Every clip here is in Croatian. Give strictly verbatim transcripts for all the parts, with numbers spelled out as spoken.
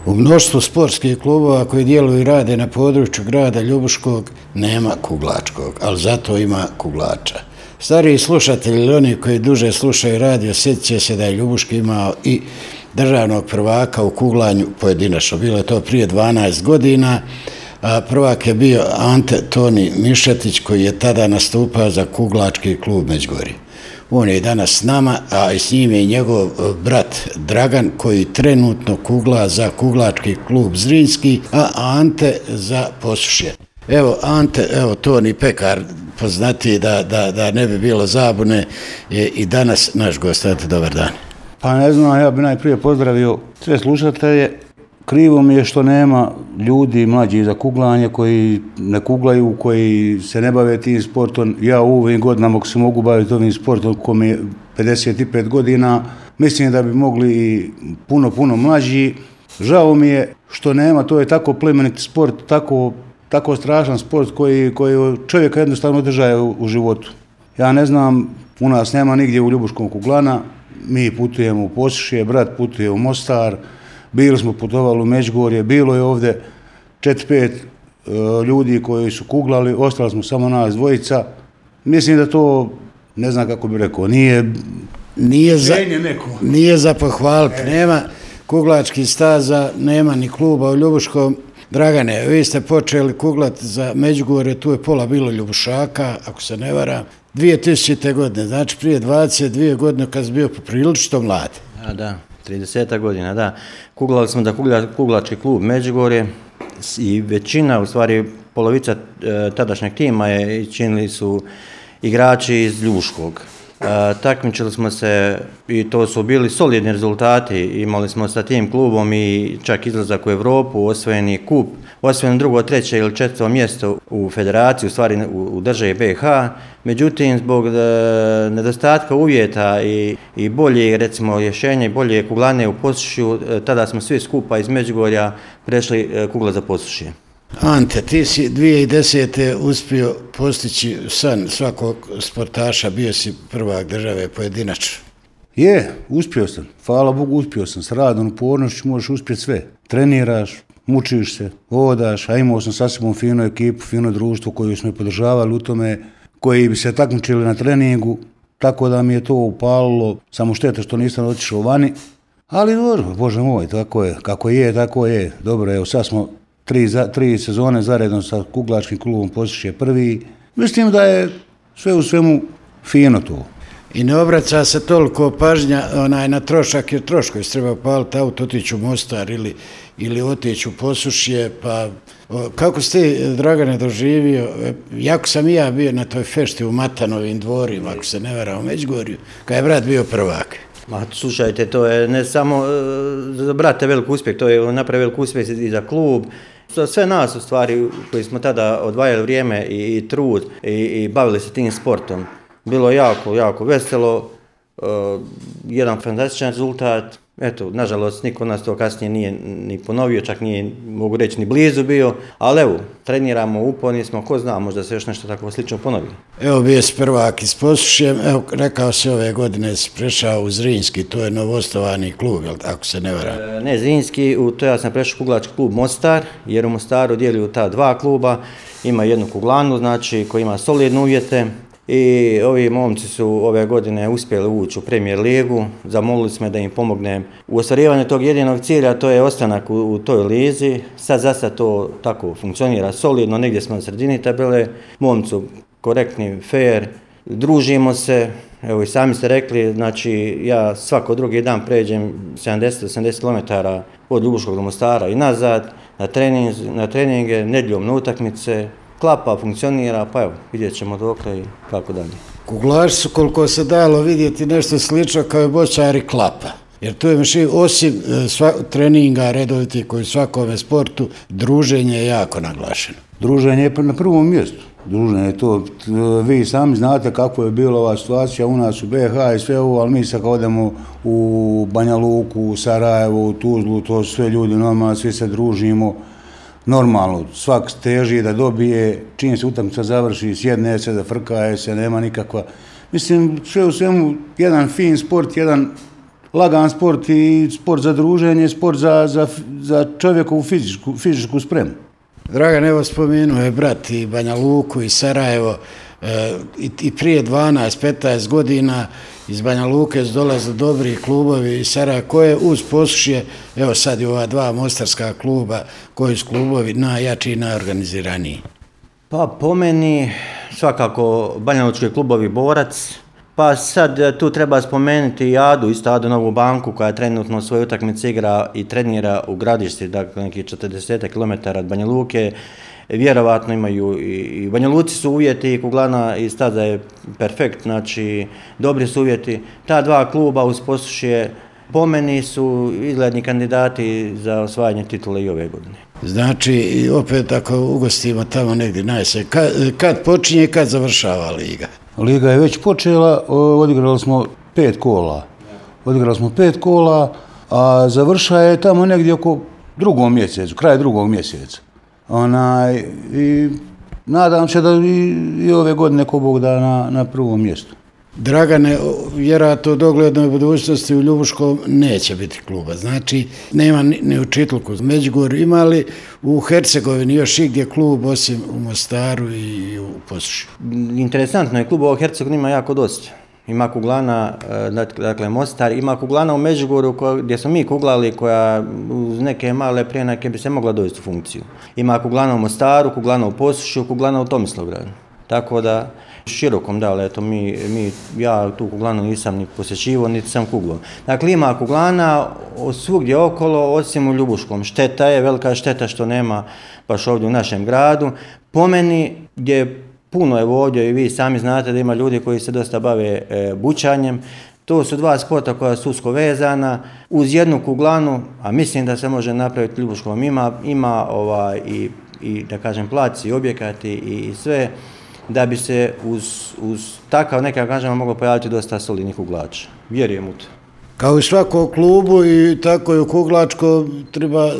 U mnoštvu sportskih klubova koji djeluju i rade na području grada Ljubuškog nema kuglačkog, ali zato ima kuglača. Stariji slušatelji ili oni koji duže slušaju radio sjetit će se da je Ljubuški imao i državnog prvaka u kuglanju pojedinačno. Bilo je to prije dvanaest godina. A prvak je bio Ante Toni Mišetić koji je tada nastupao za kuglački klub Međugorje. On je danas s nama, a i s njim je i njegov brat Dragan koji trenutno kugla za kuglački klub Zrinski, a Ante za Posušje. Evo Ante, evo Toni Pekar, poznati da, da, da ne bi bilo zabune, je i danas naš gost. Dobar dan. Pa ne znam, ja bi najprije pozdravio sve slušatelje. Krivo mi je što nema ljudi mlađi za kuglanje koji ne kuglaju, koji se ne bave tim sportom. Ja u ovim godinama ako se mogu baviti ovim sportom ko mi je pedeset pet godina, mislim da bi mogli i puno, puno mlađi. Žao mi je što nema, to je tako plemeniti sport, tako, tako strašan sport koji, koji čovjeka jednostavno održaje u, u životu. Ja ne znam, u nas nema nigdje u Ljubuškom kuglana, mi putujemo u Posušje, brat putuje u Mostar, bili smo putovali u Međugorje, bilo je ovdje četiri pet uh, ljudi koji su kuglali, ostali smo samo nas dvojica. Mislim da to, ne znam kako bi rekao, nije... Nije za, nije za pohvaliti, e. Nema kuglačkih staza, nema ni kluba u Ljubuškom. Dragane, vi ste počeli kuglati za Međugorje, tu je pola bilo Ljubušaka, ako se ne varam, dvije tisućite. godine, znači prije dvadeset dvije godine kad si bio poprilično mlad. A da. trideset godina, da. Kuglali smo da kugla, kuglački klub Međugorje i većina, u stvari polovica e, tadašnjeg tima je činili su igrači iz Ljubuškog. E, takmičili smo se i to su bili solidni rezultati. Imali smo sa tim klubom i čak izlazak u Europu, osvojeni kup, osvojeno drugo, treće ili četvrto mjesto u federaciji, u stvari u, u državi B i H. Međutim, zbog e, nedostatka uvjeta i, i bolje, recimo, rješenja i bolje kuglane u Posušju, e, tada smo svi skupa iz Međugorja prešli e, kugla za Posušje. Ante, ti si dvije tisuće desete. uspio postići san svakog sportaša, bio si prvak države pojedinačno. Je, uspio sam. Hvala Bogu, uspio sam. S radom, upornošću možeš uspjeti sve. Treniraš, mučiš se, vodaš, a imao sam sasvim finu ekipu, fino društvo koji smo podržavali u tome, koji bi se takmičili na treningu, tako da mi je to upalilo, samo šteta što nisam otišao vani, ali dobro, Bože moj, tako je, kako je, tako je. Dobro, evo sad smo tri, za, tri sezone zaredno sa kuglačkim klubom Posušje prvi. Mislim da je sve u svemu fino to. I ne obraća se toliko pažnja onaj, na trošak, jer troškovi se treba paliti auto, otići u Mostar ili, ili otići u Posušje, pa o, kako ste, Dragane, doživio, jako sam i ja bio na toj fešti u Matanovim dvorima, ako se ne varam, u Međugorju, kad je brat bio prvak. Ma, slušajte, to je ne samo uh, za brate velik uspjeh, to je napravio velik uspjeh i za klub. Za sve nas, u stvari, koji smo tada odvajali vrijeme i, i trud i, i bavili se tim sportom. Bilo je jako, jako veselo, uh, jedan fantastičan rezultat. Eto, nažalost, niko od nas to kasnije nije ni ponovio, čak nije, mogu reći, ni blizu bio, ali evo, treniramo, uporni smo, ko zna, možda se još nešto tako slično ponovi. Evo, bio si prvak iz Posušjem, evo, rekao se ove godine si prešao u Zrinski, to je novostovani klub, jel, ako se ne varam? E, ne, Zrinski, u to ja sam prešao kuglački klub Mostar, jer u Mostaru dijeliju ta dva kluba, ima jednu kuglanu, znači, koji ima solidne uvjete. I ovi momci su ove godine uspjeli ući u Premier ligu, zamolili smo da im pomognem u ostvarivanju tog jedinog cilja, to je ostanak u, u toj lizi. Sad za sad to tako funkcionira solidno, negdje smo na sredini tabele, momci korektni, fair, družimo se, evo i sami ste rekli, znači ja svako drugi dan pređem sedamdeset do osamdeset kilometara od Ljubuškog do Mostara i nazad, na, trening, na treninge, nedjeljom na utakmice. Klapa, funkcionira, pa evo, vidjet ćemo dokle i kako dalje. Kuglaši su, koliko se dalo vidjeti, nešto slično kao i bočari klapa. Jer tu je miši, osim sva, treninga redoviti koji u svakome sportu, druženje je jako naglašeno. Druženje je na prvom mjestu. Druženje je to, vi sami znate kako je bila ova situacija u nas u B i H i sve ovo, ali mi sad kad odemo u Banja Luku, u Sarajevo, u Tuzlu, to su sve ljudi normalno, svi se družimo. Normalno, svak teži da dobije, čim se utakmica završi, sjedne se, da frkaje se, nema nikakva. Mislim, sve u svemu, jedan fin sport, jedan lagan sport i sport za druženje, sport za, za, za čovjekovu fizičku, fizičku spremu. Dragan, evo spomenuo je brat i Banja Luku i Sarajevo, e, i, i prije dvanaest petnaest godina iz Banja Luke su dolazili dobri klubovi iz Sarajeva, koje uz Posušje, evo sad i ova dva mostarska kluba, koji su klubovi najjači i najorganiziraniji. Pa po meni svakako banjalučki klubovi Borac, pa sad tu treba spomenuti i Adu, isto Adu Novu Banku koja trenutno svoje utakmice igra i trenira u Gradišti, dakle nekih četrdeset kilometara od Banja Luke. Vjerovatno imaju i Banja Luci su uvjeti i kuglana i staza je perfekt, znači dobri su uvjeti. Ta dva kluba uz Posušje po meni su izgledni kandidati za osvajanje titula i ove godine. Znači, opet ako ugostimo tamo negdje najse, kad, kad počinje i kad završava liga? Liga je već počela, odigrali smo pet kola. Odigrali smo pet kola, a završa je tamo negdje oko drugog mjesecu, kraj drugog mjeseca. Onaj, i nadam se da i, i ove godine ko Bog da na, na prvom mjestu. Dragane, vjerojatno u doglednoj budućnosti u Ljubuškom neće biti kluba. Znači, nema ni, ni u Čitlku. Međugorju ima li u Hercegovini još igdje klub osim u Mostaru i u Posušju? Interesantno je, klubova u Hercegovini ima jako dosta. Ima kuglana, dakle Mostar, ima kuglana u Međugorju gdje smo mi kuglali, koja uz neke male prenake bi se mogla dovesti u funkciju. Ima kuglana u Mostaru, kuglana u Posušju, kuglana u Tomislavgradu. Tako da, širokom, da, ali eto, mi, mi, ja tu kuglanu nisam ni posjećivo, niti sam kuglao. Dakle, ima kuglana svugdje okolo, osim u Ljubuškom. Šteta je, velika šteta što nema baš ovdje u našem gradu. Po meni, gdje puno je ovdje i vi sami znate da ima ljudi koji se dosta bave e, bučanjem, to su dva sporta koja su usko vezana uz jednu kuglanu, a mislim da se može napraviti Ljubuškom. Ima, ima ovaj, i, i, da kažem, plac i objekati i, i sve, da bi se uz, uz takav neka, kažemo, moglo pojaviti dosta solidnih kuglača. Vjerujem u to. Kao i svakom klubu i tako i u kuglačko treba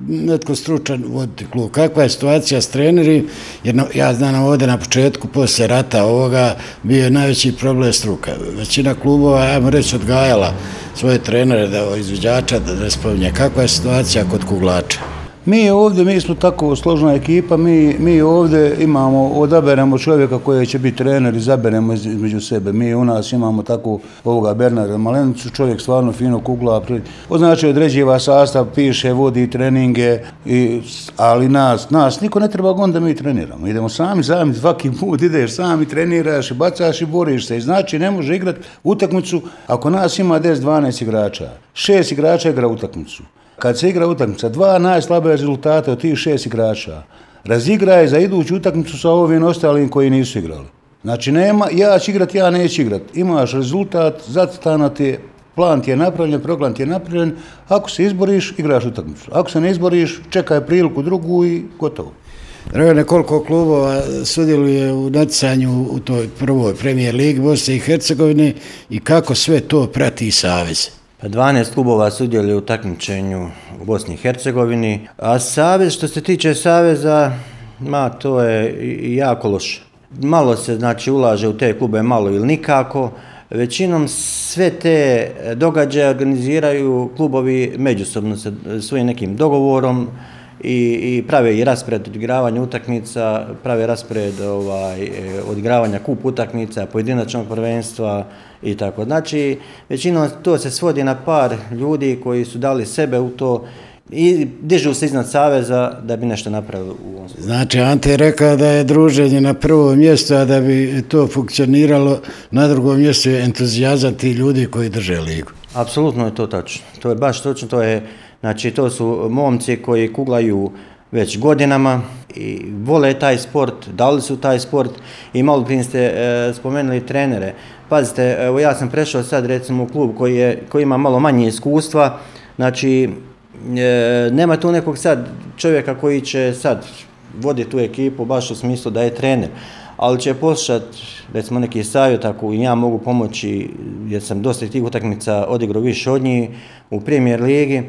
netko stručan voditi klub. Kakva je situacija s trenerima? Jer no, ja znam ovdje na početku, poslije rata ovoga, bio je najveći problem struka. Većina klubova, ajmo reći, odgajala svoje trenere, da izvođača, da ne spominje. Kakva je situacija kod kuglača? Mi ovdje, mi smo tako složna ekipa, mi, mi ovdje imamo, odaberemo čovjeka koji će biti trener, izaberemo između sebe. Mi u nas imamo tako ovoga Bernarda Malenicu, čovjek stvarno fino kugla, znači određiva sastav, piše, vodi treninge, i, ali nas, nas niko ne treba gon da mi treniramo. Idemo sami, sami, svaki put ideš sami, treniraš i bacaš i boriš se. I znači ne može igrati utakmicu ako nas ima deset dvanaest igrača. Šest igrača igra utakmicu. Kad se igra utakmica, dva najslabije rezultate od tih šest igrača razigraje za iduću utakmicu sa ovim ostalim koji nisu igrali. Znači, nema, ja ću igrati, ja neću igrati. Imaš rezultat, zacrtano ti je, plan ti je napravljen, program ti je napravljen. Ako se izboriš, igraš utakmicu. Ako se ne izboriš, čekaj priliku drugu i gotovo. Dragane, koliko klubova sudjeluje u natjecanju u toj prvoj premijer ligi Bosne i Hercegovine i kako sve to prati Savez? Pa dvanaest klubova sudjeluje u takmičenju u Bosni i Hercegovini, a Savez, što se tiče Saveza, ma, to je jako loše. Malo se, znači, ulaže u te klube, malo ili nikako. Većinom sve te događaje organiziraju klubovi međusobno sa svojim nekim dogovorom i, i prave i raspored odigravanja utakmica, prave raspored ovaj, odigravanja kup utakmica, pojedinačnog prvenstva i tako. Znači, većinom to se svodi na par ljudi koji su dali sebe u to i dižu se iznad Saveza da bi nešto napravili u ovom. Znači, Ante je rekao da je druženje na prvom mjestu, a da bi to funkcioniralo na drugom mjestu je entuzijazam tih ljudi koji drže ligu. Apsolutno je to tačno. To je baš točno, to je, znači, to su momci koji kuglaju već godinama i vole taj sport, dali su taj sport i malo prije ste e, spomenuli trenere. Pazite, evo ja sam prešao sad recimo u klub koji, je, koji ima malo manje iskustva, znači e, nema tu nekog sad čovjeka koji će sad voditi tu ekipu baš u smislu da je trener, ali će poslušati recimo neki savjet ako ja mogu pomoći jer sam dosta tih utakmica odigrao više od njih u Premier ligi,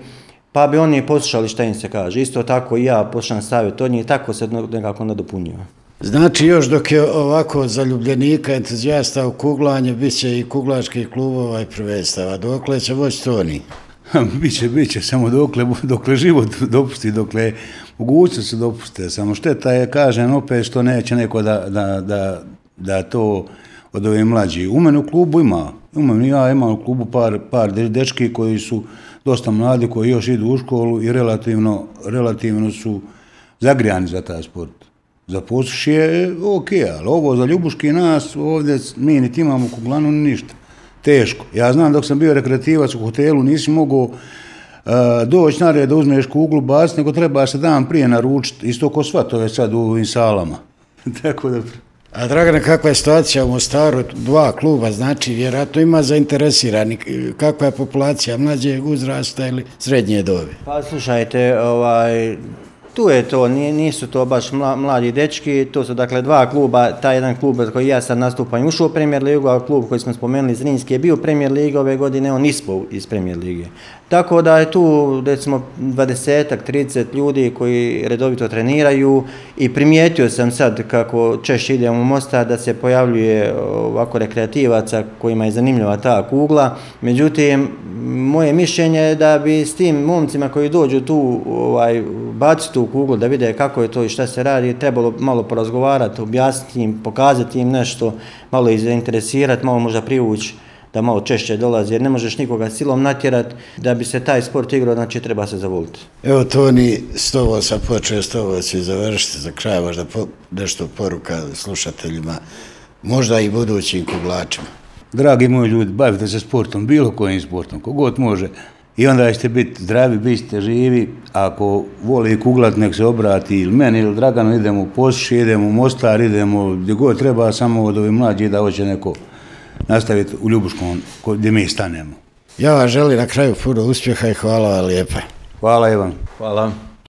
pa bi oni poslušali šta im se kaže. Isto tako i ja poslušam savjet od njih i tako se nekako nadopunjuje. Znači još dok je ovako zaljubljenika, entuzijasta u kuglanje, bit će i kuglačkih klubova i prvenstava. Dokle će moći Toni? Biće, biće, samo dokle, dokle život dopusti, dokle mogućnost se dopuste. Samo šteta je, kažem, opet što neće neko da, da, da, da to od ove mlađi. U mene u klubu ima, imam, ja imam u klubu par, par dečki koji su dosta mladi, koji još idu u školu i relativno, relativno su zagrijani za taj sport. Za Posušje je ok, ali ovo za Ljubuški nas, ovdje mi niti imamo kuglanu, ni ništa. Teško. Ja znam dok sam bio rekreativac u hotelu, nisi mogao uh, doći na red da uzmeš kuglu, baciti, nego treba se dan prije naručiti, isto ko svatove sad u ovim salama. Tako da... A Dragane, kakva je situacija u Mostaru? Dva kluba, znači vjerojatno ima zainteresirani. Kakva je populacija mlađeg uzrasta ili srednje dobi? Pa slušajte, ovaj, tu je to, nisu to baš mladi dečki, to su dakle dva kluba, taj jedan klub koji ja sad nastupam ušao u Premier ligu, a klub koji smo spomenuli Zrinski je bio u Premier ligi ove godine, on ispao iz Premier lige. Tako da je tu recimo dvadesetak, trideset ljudi koji redovito treniraju i primijetio sam sad kako češće idem u Mostar da se pojavljuje ovako rekreativaca kojima je zanimljiva ta kugla. Međutim, moje mišljenje je da bi s tim momcima koji dođu tu ovaj, baciti tu kuglu da vide kako je to i šta se radi, trebalo malo porazgovarati, objasniti im, pokazati im nešto, malo ih zainteresirati, malo možda privući da malo češće dolazi, jer ne možeš nikoga silom natjerati. Da bi se taj sport igrao, znači treba se zavoliti. Evo Toni, s tobom sam počeo, s tobom ću završiti za kraj, možda po, nešto poruka slušateljima, možda i budućim kuglačima. Dragi moji ljudi, bavite se sportom, bilo kojim sportom, kogod može. I onda ćete biti zdravi, bit ćete živi. Ako voli kuglat, nek se obrati ili meni ili Draganu, idemo u Posušje, idemo u Mostar, idemo gdje god treba, samo od ovih mlađih da hoće neko nastaviti u Ljubuškom gdje mi stanemo. Ja vam želim na kraju puno uspjeha i hvala vam lijepa. Hvala Ivan. Hvala.